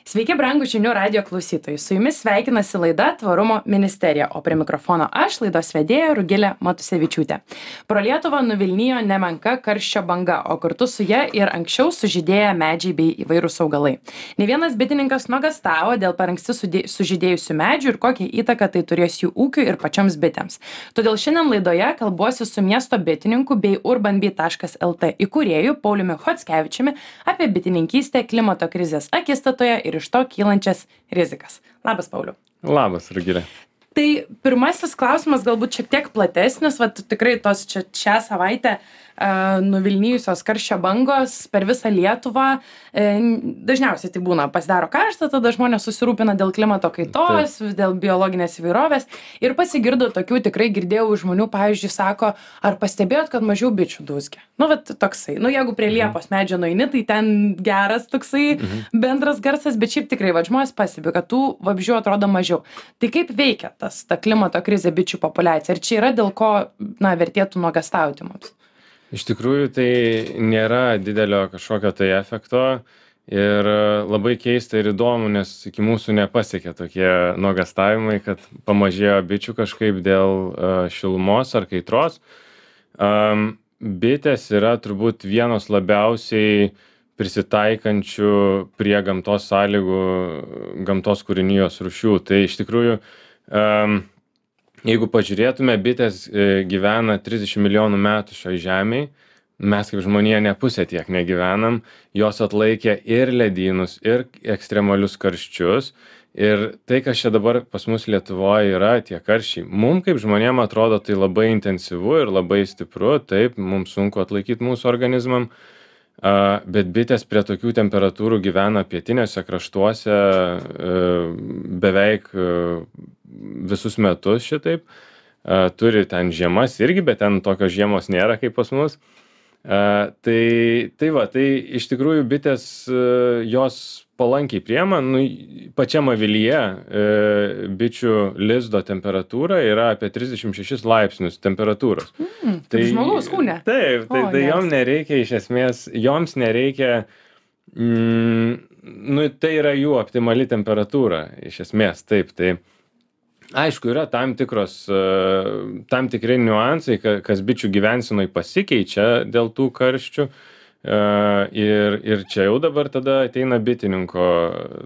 Sveiki, brangų žinių radio klausytojai. Su jumis sveikinasi laida Tvarumo ministerija, o prie mikrofono aš, laidos vedėja Rugilė Matusevičiūtė. Pro Lietuvą nuvilnijo nemenka karščio banga, o kartu su ja ir anksčiau sužydėję medžiai bei įvairūs augalai. Ne vienas bitininkas nuogąstavo dėl per anksti sužydėjusių medžių ir kokią įtaką tai turės jų ūkiui ir pačioms bitėms. Todėl šiandien laidoje kalbuosi su miesto bitininku bei urbanbee.lt įkūrėju Pauliumi Chockevičiumi apie bitininkystę klimato krizės akistatoje ir iš to kylančias rizikas. Labas, Pauliau. Labas, Rugilė. Tai pirmasis klausimas galbūt šiek tiek platesnis, tikrai tos šią savaitę nuvilnijusios karščio bangos per visą Lietuvą. Dažniausiai tai būna pasidaro karšta, tada žmonės susirūpina dėl klimato kaitos, dėl biologinės įvairovės. Ir pasigirdo tokių, tikrai girdėjau žmonių, pavyzdžiui, sako, ar pastebėjot, kad mažiau bičių dūzgia? Toksai. Jeigu prie liepos medžio nueini, tai ten geras toksai bendras garsas, bet šiaip tikrai žmonės pastebi, kad tų vabzdžių atrodo mažiau. Tai kaip veikia ta klimato krizė bičių populiacija? Ir čia yra dėl ko vertėtų nuogąstauti mums? Iš tikrųjų, tai nėra didelio kažkokio tai efekto ir labai keista ir įdomu, nes iki mūsų nepasiekė tokie nuogąstavimai, kad pamažėjo bičių kažkaip dėl šilumos ar kaitros. Bitės yra turbūt vienos labiausiai prisitaikančių prie gamtos sąlygų, gamtos kūrinijos rūšių. Tai iš tikrųjų, jeigu pažiūrėtume, bitės gyvena 30 milijonų metų šioj žemėj, mes kaip žmonija ne pusę tiek negyvenam, jos atlaikė ir ledynus, ir ekstremalius karščius. Ir tai, kas čia dabar pas mus Lietuvoje yra, tie karščiai, mums kaip žmonėm atrodo tai labai intensyvu ir labai stipru, taip, mums sunku atlaikyti mūsų organizmam, bet bitės prie tokių temperatūrų gyvena pietinėse kraštuose beveik visus metus šitaip. Turi ten žiemas irgi, bet ten tokios žiemos nėra kaip pas mus. Tai iš tikrųjų bitės jos palankiai priema. Pačiam avilyje bičių lizdo temperatūra yra apie 36 laipsnius temperatūros. Tai žmogaus kūne. Taip, tai joms nereikia iš esmės, joms nereikia, tai yra jų optimali temperatūra iš esmės, taip, tai aišku, yra tam tikri niuansai, kas bičių gyvensenoj pasikeičia dėl tų karščių. Ir čia jau dabar tada ateina bitininko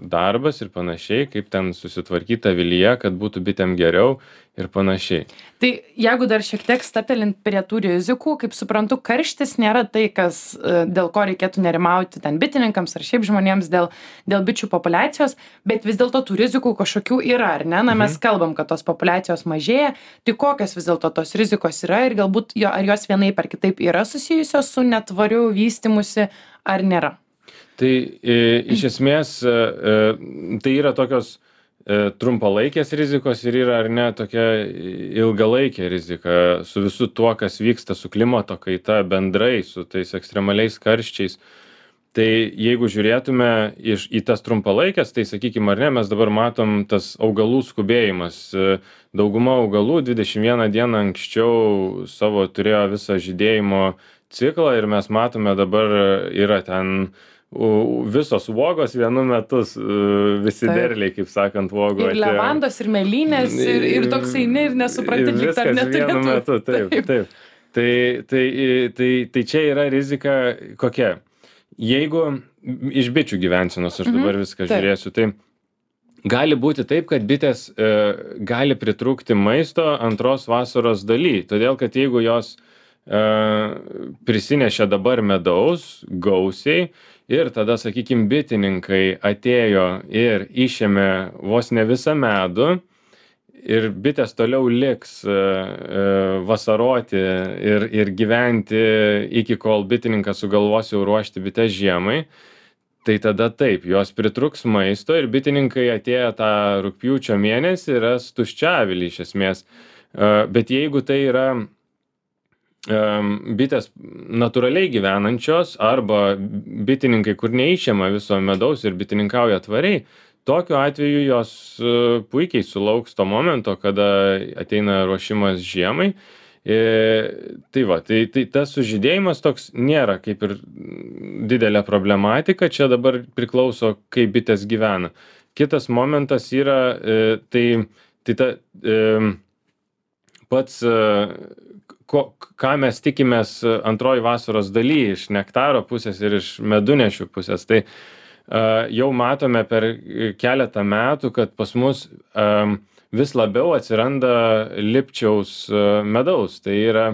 darbas ir panašiai, kaip ten susitvarkyti avilyje, kad būtų bitėm geriau ir panašiai. Tai jeigu dar šiek tiek stabtelint prie tų rizikų, kaip suprantu, karštis nėra tai, dėl ko reikėtų nerimauti ten bitininkams ar šiaip žmonėms dėl bičių populiacijos, bet vis dėlto tų rizikų kažkokių yra, ar ne? Mes kalbam, kad tos populiacijos mažėja, tai kokios vis dėlto tos rizikos yra ir galbūt ar jos vienaip ar kitaip yra susijusios su netvariu vystymusi ar nėra? Tai iš esmės tai yra tokios trumpalaikės rizikos ir yra ar ne tokia ilgalaikė rizika su visu tuo, kas vyksta su klimato kaita bendrai, su tais ekstremaliais karščiais. Tai jeigu žiūrėtume į tas trumpalaikės, tai sakykime, ar ne, mes dabar matom tas augalų skubėjimas. Dauguma augalų 21 dieną anksčiau savo turėjo visą žydėjimo ciklą ir mes matome dabar yra ten visos uogos vienu metu, visi derliai, kaip sakant, uogų. Ir levandos, ir mėlynės, ir toks eini ir nesupranti, lyg ar neturėtų. Vienu metu, taip. Tai čia yra rizika kokia? Jeigu iš bičių gyvensenos, aš dabar viską žiūrėsiu, tai gali būti taip, kad bitės gali pritrūkti maisto antros vasaros daly. Todėl, kad jeigu jos prisinešė dabar medaus gausiai, ir tada, sakykime, bitininkai atėjo ir išėmė vos ne visą medų ir bitės toliau liks vasaroti ir gyventi iki kol bitininkas sugalvos jau ruošti bites žiemai, tai tada taip, jos pritruks maisto ir bitininkai atėjo tą rugpjūčio mėnesį ir ras tuščią avilį iš esmės. Bet jeigu tai yra bitės natūraliai gyvenančios arba bitininkai, kur neišėma viso medaus ir bitininkauja tvariai, tokiu atveju jos puikiai sulauks to momento, kada ateina ruošimas žiemai Tai va, tai tas sužydėjimas toks nėra kaip ir didelė problematika, čia dabar priklauso, kaip bitės gyvena. Kitas momentas yra, pats, ką mes tikimės antroji vasaros daly iš nektaro pusės ir iš medunešių pusės. Tai jau matome per keletą metų, kad pas mus vis labiau atsiranda lipčiaus medaus. Tai yra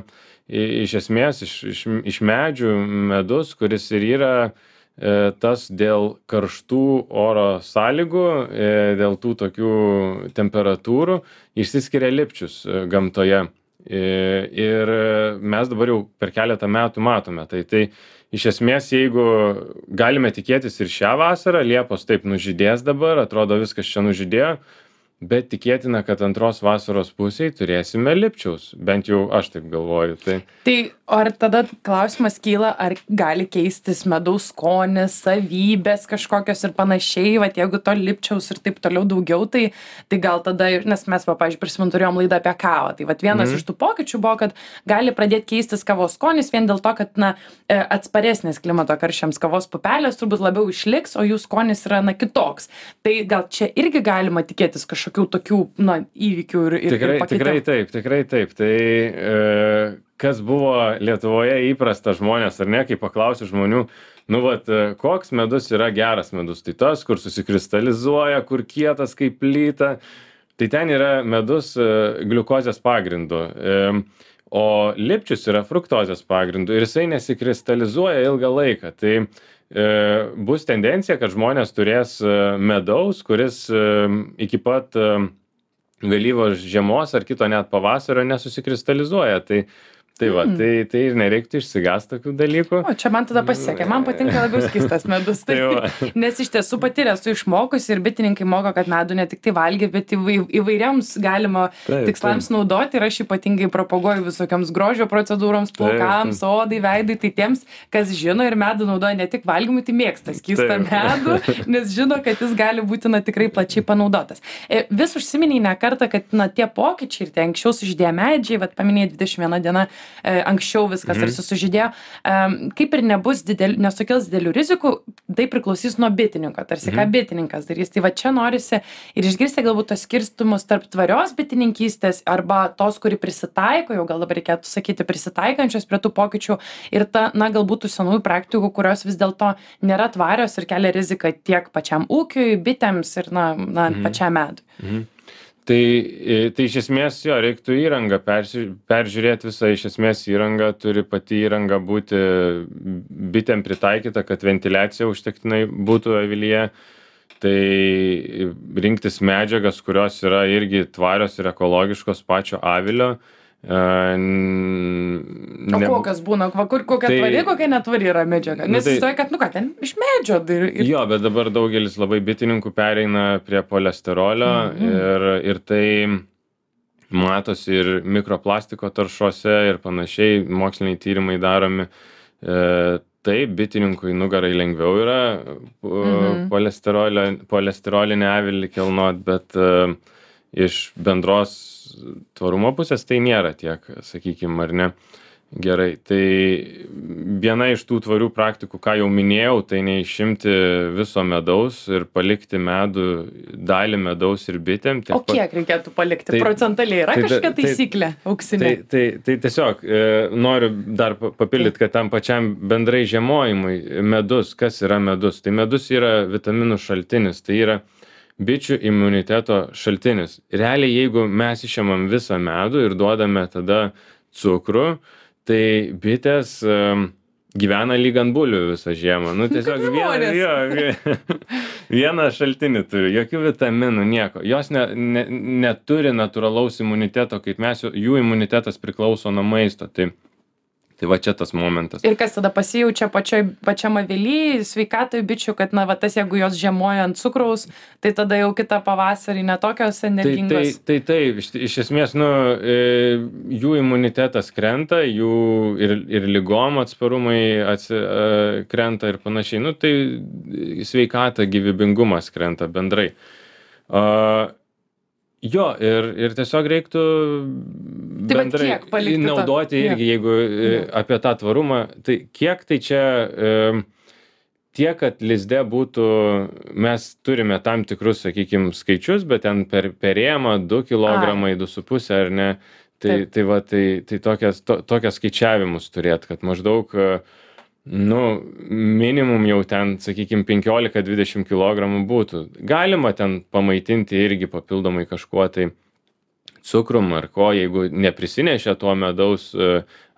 iš esmės iš medžių medus, kuris ir yra tas dėl karštų oro sąlygų, dėl tų tokių temperatūrų išsiskiria lipčius gamtoje. Ir mes dabar jau per keletą metų matome. Tai iš esmės, jeigu galime tikėtis ir šią vasarą, liepos taip nužydės dabar, atrodo viskas čia nužydėjo, bet tikėtina, kad antros vasaros pusėje turėsime lipčiaus. Bent jau aš taip galvoju. Tai ar tada klausimas kyla, ar gali keistis medaus skonis, savybės kažkokios ir panašiai, vat jeigu to lipčiaus ir taip toliau daugiau, tai gal tada, nes mes, pavyzdžiui, prisimenu, turėjom laidą apie kavą, tai vat vienas iš tų pokyčių buvo, kad gali pradėti keistis kavos skonis vien dėl to, kad atsparesnės klimato karščiams kavos pupelės turbūt labiau išliks, o jų skonis yra kitoks. Tai gal čia irgi galima tikėtis kažkokių tokių įvykių ir pakitimų. Tikrai taip. Tai kas buvo Lietuvoje įprasta žmonės, ar ne, kai paklausiu žmonių, koks medus yra geras medus, tai tas, kur susikristalizuoja, kur kietas kaip plyta, tai ten yra medus gliukozės pagrindu, o lipčius yra fruktozės pagrindu ir jisai nesikristalizuoja ilgą laiką. Tai bus tendencija, kad žmonės turės medaus, kuris iki pat vėlyvos žiemos ar kito net pavasario nesusikristalizuoja. Tai ir nereiktų išsigąsti tokių dalykų. O čia man tada pasisekė, man patinka labiau skystas medus. Nes iš tiesų patyrę esu išmokusi ir bitininkai moko, kad medų ne tik tai valgyti, bet įvairiams galima tikslams naudoti ir aš ypatingai propaguoju visokiams grožio procedūroms, plaukams, odai, veidai, tai tiems, kas žino ir medų naudoja ne tik valgymui, tai mėgsta skystą medų, nes žino, kad jis gali būti tikrai plačiai panaudotas. Vis užsiminiai ne kartą, kad tie pokyčiai ir tie anksčiau sužydėję medžiai, paminėjai 21 diena, anksčiau viskas tarsi sužydėjo, kaip ir nesukels didelių rizikų, tai priklausys nuo bitininko, tarsi ką bitininkas darys. Tai va čia norisi ir išgirsti galbūt tos skirstumus tarp tvarios bitininkystės arba tos, kuri prisitaiko, jau gal dabar reikėtų sakyti prisitaikančios prie tų pokyčių ir galbūt tų senųjų praktikų, kurios vis dėlto nėra tvarios ir kelia riziką tiek pačiam ūkiui, bitėms ir pačiam medui. Tai iš esmės reiktų įrangą peržiūrėti visą, iš esmės įrangą turi pati įranga būti bitėm pritaikyta, kad ventiliacija užtektinai būtų avilyje. Tai rinktis medžiagas, kurios yra irgi tvarios ir ekologiškos pačio avilio. O kokios būna, kokia tvari, kokia netvari yra medžiaga? Nes įstoja, kad, ten iš medžio. Jo, bet dabar daugelis labai bitininkų pereina prie polesterolio ir tai matosi ir mikroplastiko taršose ir panašiai, moksliniai tyrimai daromi. Taip, bitininkui nugarai lengviau yra polesterolinę avilį kilnot, bet iš bendros tvarumo pusės tai nėra tiek, sakykime, ar ne, gerai. Tai viena iš tų tvarių praktikų, ką jau minėjau, tai neišimti viso medaus ir palikti medų, dalį medaus ir bitėm. O kiek reikėtų palikti? Procentaliai yra kažkokia taisyklė auksinė? Tai tiesiog noriu dar papildyti, kad tam pačiam bendrai žiemojimui medus, kas yra medus? Tai medus yra vitaminų šaltinis, tai yra bičių imuniteto šaltinis. Realiai, jeigu mes išėmam visą medų ir duodame tada cukrų, tai bitės gyvena lyg ant bulvių visą žiemą. Tiesiog vieną šaltinį turi, jokių vitaminų, nieko. Jos neturi natūralaus imuniteto, kaip mes, jų imunitetas priklauso nuo maisto. Tai va čia tas momentas. Ir kas tada pasijaučia pačiam avily, sveikatoj bičių, kad tas, jeigu jos žiemoja ant cukraus, tai tada jau kitą pavasarį netokios energingos. Taip, iš esmės, jų imunitetas krenta, jų ir ligom atsparumai krenta ir panašiai. Tai sveikata, gyvybingumas krenta bendrai. Jo, ir tiesiog reiktų Tai vat bendrai kiek palikti naudoti irgi, jeigu apie tą tvarumą, tai kiek tai čia tiek, kad lizde būtų, mes turime tam tikrus, sakykime, skaičius, bet ten per rėmą 2 kilogramai, 2,5 ar ne, tai tokias skaičiavimus turėt, kad maždaug minimum jau ten, sakykime, 15-20 kilogramų būtų. Galima ten pamaitinti irgi papildomai kažkuo tai cukrum ar ko, jeigu neprisinešia to medaus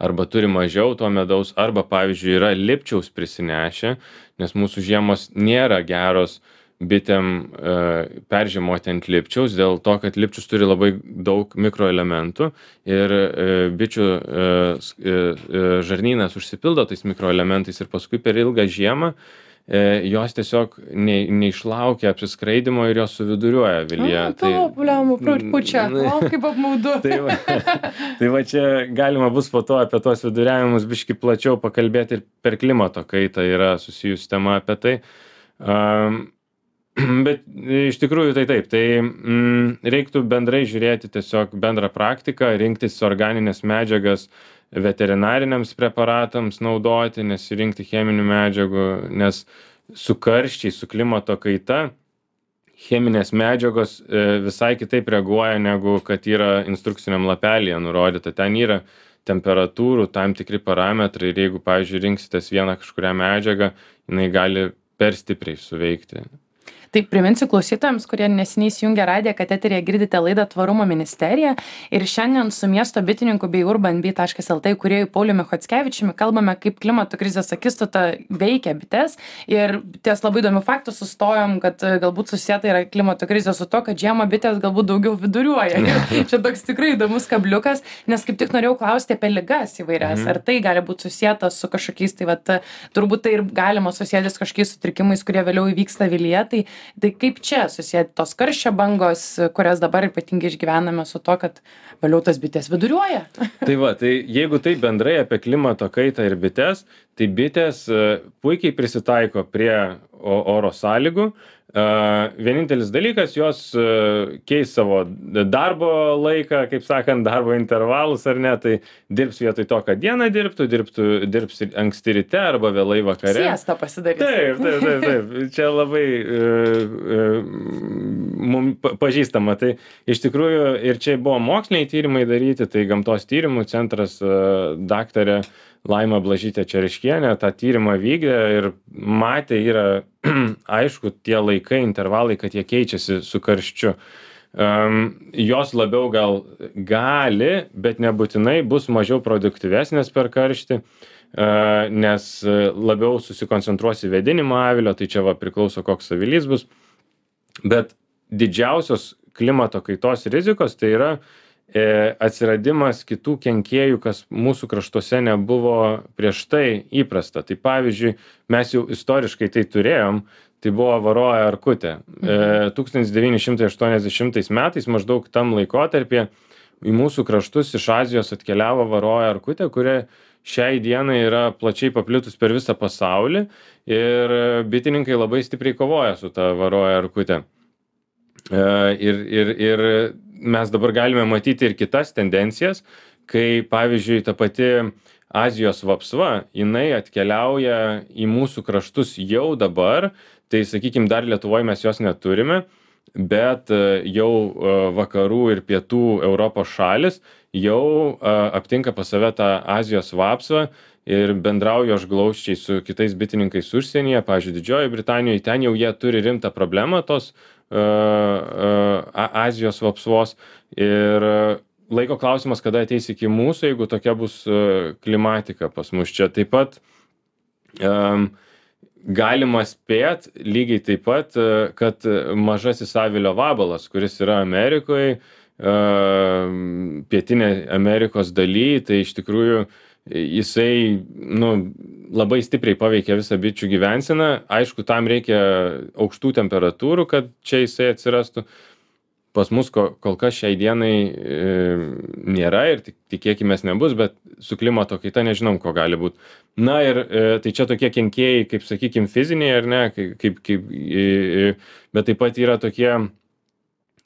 arba turi mažiau to medaus, arba, pavyzdžiui, yra lipčiaus prisinešę, nes mūsų žiemos nėra geros bitėm peržiemoti ant lipčiaus, dėl to, kad lipčius turi labai daug mikroelementų ir bičių žarnynas užsipildo tais mikroelementais ir paskui per ilgą žiemą jos tiesiog neišlaukia apsiskraidimo ir jos suviduriuoja avilyje. Pučia, kaip apmaudu. Tai va čia galima bus po to apie tuos viduriavimus biški plačiau pakalbėti ir per klimato kaitą yra susijus tema apie tai. Bet iš tikrųjų tai taip, tai reiktų bendrai žiūrėti tiesiog bendrą praktiką, rinktis organinės medžiagas veterinariniams preparatams naudoti, nesirinkti cheminių medžiagų, nes su karščiai, su klimato kaita cheminės medžiagos visai kitaip reaguoja, negu kad yra instrukciniam lapelyje nurodyta. Ten yra temperatūrų, tam tikri parametrai ir jeigu, pavyzdžiui, rinksitės vieną kažkurią medžiagą, jinai gali per stipriai suveikti. Tai priminsiu klausytojams, kurie neseniai įsijungė radiją, kad eteryje girdite laidą Tvarumo ministerija ir šiandien su miesto bitininku bei urbanbee.lt įkūrėju Pauliumi Chockevičiumi kalbame, kaip klimato krizės akistata veikia bites ir ties labai įdomių faktų sustojom, kad galbūt susieta yra klimato krizė su to, kad žiemą bitės galbūt daugiau viduriuoja. Čia toks tikrai įdomus kabliukas, nes kaip tik norėjau klausti apie ligas įvairias. Ar tai gali būti susieta su kažkokiais, tai turbūt tai ir galima susijęti su kažkokiais sutrikimais, kurie vėliau įvyksta avilyje. Tai kaip čia susijęti tos karščio bangos, kurias dabar ypatingai išgyvename su to, kad vėliau tas bitės viduriuoja? Tai jeigu tai bendrai apie klimato kaitą ir bites, tai bitės puikiai prisitaiko prie oro sąlygų. Vienintelis dalykas, jos keis savo darbo laiką, kaip sakant, darbo intervalus ar ne, tai dirbs vietoj to, kad dieną dirbs anksti ryte arba vėlai vakare. Siestą pasidarys. Taip. Čia labai mums pažįstama. Tai iš tikrųjų ir čia buvo moksliniai tyrimai daryti, tai Gamtos tyrimų centras daktarė Laima Blažytė Čereškienė tą tyrimą vykdė ir matė, yra aišku tie laikai, intervalai, kad jie keičiasi su karščiu. Jos labiau gal gali, bet nebūtinai bus mažiau produktyvesnės per karštį, nes labiau susikoncentruos į vėdinimą avilio, tai čia priklauso koks avilys bus. Bet didžiausios klimato kaitos rizikos tai yra atsiradimas kitų kenkėjų, kas mūsų kraštuose nebuvo prieš tai įprasta. Tai pavyzdžiui, mes jau istoriškai tai turėjom, tai buvo varoja erkutė. 1980 metais maždaug tam laikotarpyje į mūsų kraštus iš Azijos atkeliavo varoja erkutė, kuri šiai dienai yra plačiai paplitus per visą pasaulį ir bitininkai labai stipriai kovoja su ta varoja erkutė. Ir mes dabar galime matyti ir kitas tendencijas, kai, pavyzdžiui, ta pati Azijos vapsva, jinai atkeliauja į mūsų kraštus jau dabar, tai, sakykime, dar Lietuvoje mes jos neturime, bet jau vakarų ir pietų Europos šalis jau aptinka pas save tą Azijos vapsvą ir bendrauju aš glausčiai su kitais bitininkais užsienyje, pavyzdžiui, Didžiojoje Britanijoje, ten jau jie turi rimtą problemą tos Azijos vapsvos ir laiko klausimas, kada ateis iki mūsų, jeigu tokia bus klimatika pas mus čia. Taip pat galima spėt lygiai taip pat, kad mažasis avilio vabalas, kuris yra Amerikoje, pietinė Amerikos daly, tai iš tikrųjų jisai labai stipriai paveikia visą bičių gyvenseną. Aišku, tam reikia aukštų temperatūrų, kad čia jisai atsirastų. Pas mus kol kas šiai dienai nėra ir tikėkimės nebus, bet su klimato kaita nežinom, ko gali būti. Na ir tai čia tokie kenkėjai, kaip sakykime, fiziniai ar ne, bet taip pat yra tokie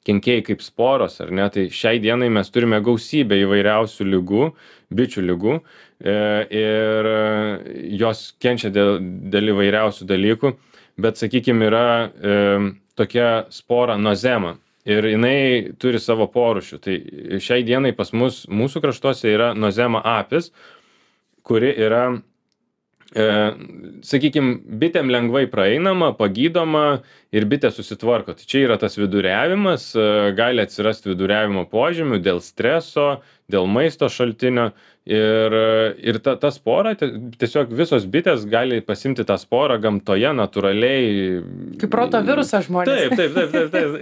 kenkėjai kaip sporos, ar ne, tai šiai dienai mes turime gausybę įvairiausių ligų, bičių ligų, ir jos kenčia dėl įvairiausių dalykų, bet, sakykime, yra tokia spora nozema ir jinai turi savo porūšių. Tai šiai dienai pas mus, mūsų kraštuose yra nozema apis, kuri yra, sakykime, bitėm lengvai praeinama, pagydoma ir bitė susitvarko. Tai čia yra tas viduriavimas, gali atsirasti viduriavimo požymių dėl streso, dėl maisto šaltinio ir ta spora, tiesiog visos bitės gali pasimti tą sporą gamtoje natūraliai. Kaip protovirusas žmonės. Taip,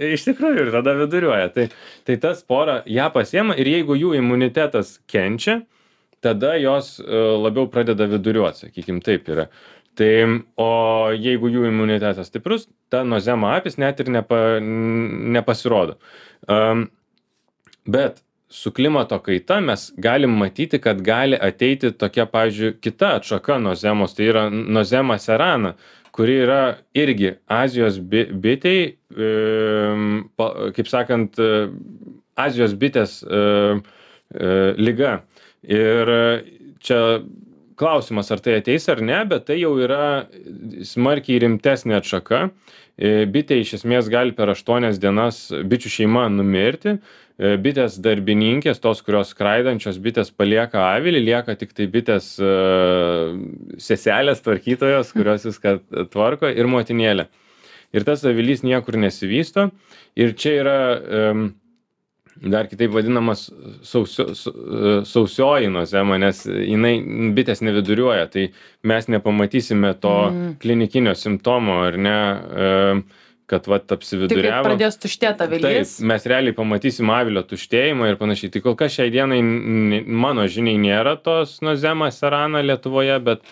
iš tikrųjų ir tada viduriuoja. Tai ta spora ją pasiema ir jeigu jų imunitetas kenčia, tada jos labiau pradeda viduriuoti, sakykim, taip yra. Tai, o jeigu jų imunitetas stiprus, ta nozema apis net ir nepasirodo. Bet su klimato kaita mes galim matyti, kad gali ateiti tokia, pavyzdžiui, kita atšaka nozemos, tai yra nozema serana, kuri yra irgi Azijos bitei, kaip sakant, Azijos bitės liga. Ir čia klausimas, ar tai ateis ar ne, bet tai jau yra smarkiai rimtesnė atšaka. Bitė iš esmės gali per 8 dienas bičių šeima numirti. Bitės darbininkės, tos, kurios skraidančios bitės palieka avilį, lieka tik tai bitės seselės tvarkytojos, kurios viską tvarko, ir motinėlė. Ir tas avilys niekur nesivysto. Ir čia yra dar kitaip vadinamas sausioji nozema, nes bitės neviduriuoja, tai mes nepamatysime to klinikinio simptomo, ar ne, kad apsividuriavo. Tik pradės tuštėti avilys. Taip, mes realiai pamatysim avilio tuštėjimą ir panašiai. Tai kol kas šiai dienai mano žiniai nėra tos nozema serana Lietuvoje, bet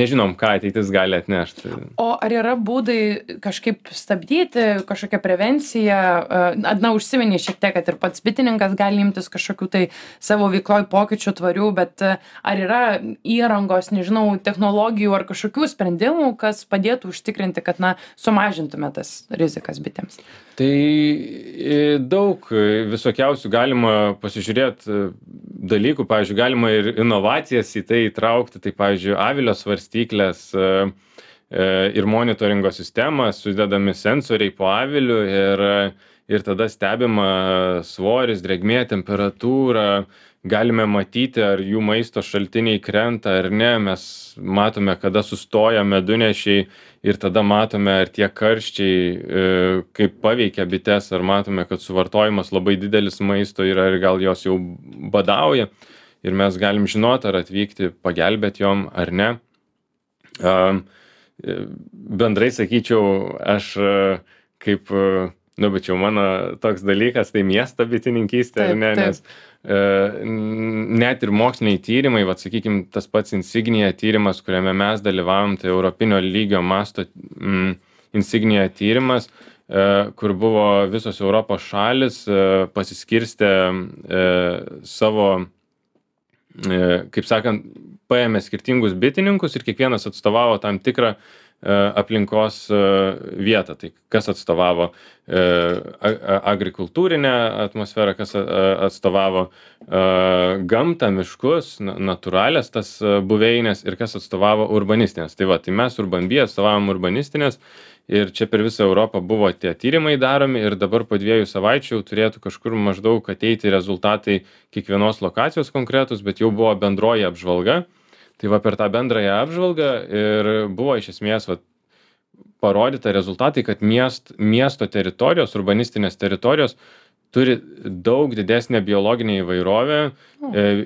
nežinom, ką ateitis gali atnešti. O ar yra būdai kažkaip stabdyti, kažkokią prevenciją? Užsiminė šiek tiek, kad ir pats bitininkas gali imtis kažkokių tai savo veikloj pokyčių tvarių, bet ar yra įrangos, nežinau, technologijų ar kažkokių sprendimų, kas padėtų užtikrinti, kad sumažintume tas rizikas bitėms? Tai daug visokiausių galima pasižiūrėti dalykų, pavyzdžiui, galima ir inovacijas į tai įtraukti, tai pavyzdžiui, avilio svarstyklės ir monitoringo sistema, sudedami sensoriai po aviliu ir tada stebima svoris, drėgmė, temperatūra, galime matyti, ar jų maisto šaltiniai krenta ar ne, mes matome, kada sustoja medunešiai ir tada matome, ar tie karščiai kaip paveikia bites, ar matome, kad suvartojimas labai didelis maisto yra ir gal jos jau badauja ir mes galim žinoti, ar atvykti pagelbėti jom ar ne. Bendrai sakyčiau, aš kaip, bet jau mano toks dalykas, tai miesto bitininkystė, ar ne, nes net ir moksliniai tyrimai, sakykime, tas pats Insignia tyrimas, kuriame mes dalyvavom, tai europinio lygio masto Insignia tyrimas, kur buvo visos Europos šalis pasiskirstę savo, kaip sakant, paėmė skirtingus bitininkus ir kiekvienas atstovavo tam tikrą aplinkos vietą. Tai kas atstovavo agrikultūrinę atmosferą, kas atstovavo gamtą, miškus, natūralias tas buveinės ir kas atstovavo urbanistinės. Tai mes Urbanbee atstovavom urbanistinės ir čia per visą Europą buvo tie tyrimai daromi ir dabar po 2 savaičių jau turėtų kažkur maždaug ateiti rezultatai kiekvienos lokacijos konkretus, bet jau buvo bendroji apžvalga. Tai per tą bendrąją apžvalgą ir buvo iš esmės parodyta rezultatai, kad miesto teritorijos, urbanistinės teritorijos turi daug didesnę biologinę įvairovę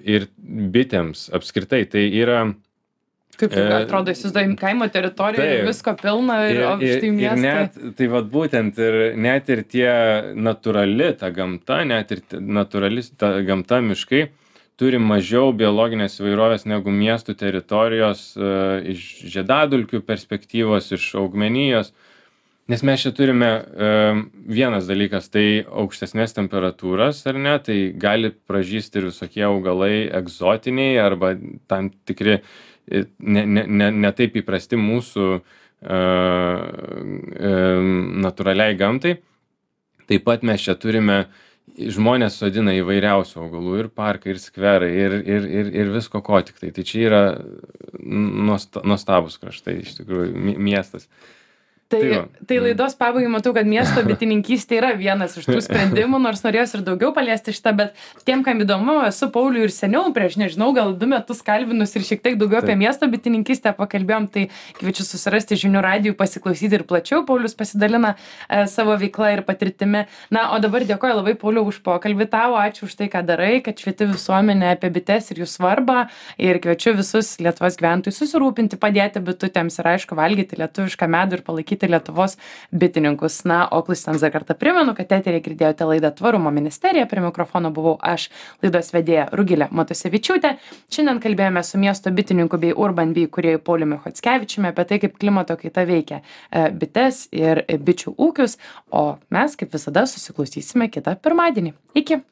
ir bitėms apskritai. Tai yra... Kaip tai atrodo, įsivaizduojam kaimo teritorijoje ir visko pilna ir štai miestai. Tai būtent net ir tie natūrali ta gamta, net ir natūrali ta gamta miškai turi mažiau biologinės įvairovės negu miestų teritorijos iš žiedadulkių perspektyvos, iš augmenijos. Nes mes čia turime vienas dalykas, tai aukštesnės temperatūras, ar ne, tai gali pražysti ir visokie augalai egzotiniai arba tam tikri ne taip įprasti mūsų natūraliai gamtai. Taip pat mes čia turime, žmonės sodina įvairiausių augalų, ir parkai, ir skverai, ir visko ko tik tai. Tai čia yra nuostabus kraštai, iš tikrųjų, miestas. Tai laidos pabaigai matau, kad miesto bitininkystė yra vienas iš tų sprendimų, nors norėjau ir daugiau paliesti šitą, bet tiem, kam įdomu, esu Paulių ir seniau, prieš nežinau, gal 2 metus kalbinus ir šiek tiek daugiau apie miesto bitininkystę pakalbėjom, tai kviečiu susirasti žinių radijų, pasiklausyti ir plačiau. Paulius pasidalina savo veiklą ir patirtimi. Na, o dabar dėkoju labai, Pauliau, už pokalbį tau, ačiū už tai, ką darai, kad švieti visuomenę apie bites ir jų svarbą, ir kviečiu visus Lietuvos gyventojus susirūpinti, padėti bitutėms ir aišku valgyti lietuvišką medų ir palaikyti Lietuvos bitininkus. Na, o klausytojams dar kartą primenu, kad eteryje girdėjote laidą Tvarumo ministerija. Prie mikrofono buvau aš, laidos vedėja Rugilė Matusevičiūtė. Šiandien kalbėjome su miesto bitininku bei Urban Bee kūrėju Pauliumi Chockevičiumi apie tai, kaip klimato kaita veikia bites ir bičių ūkius. O mes, kaip visada, susiklausysime kitą pirmadienį. Iki!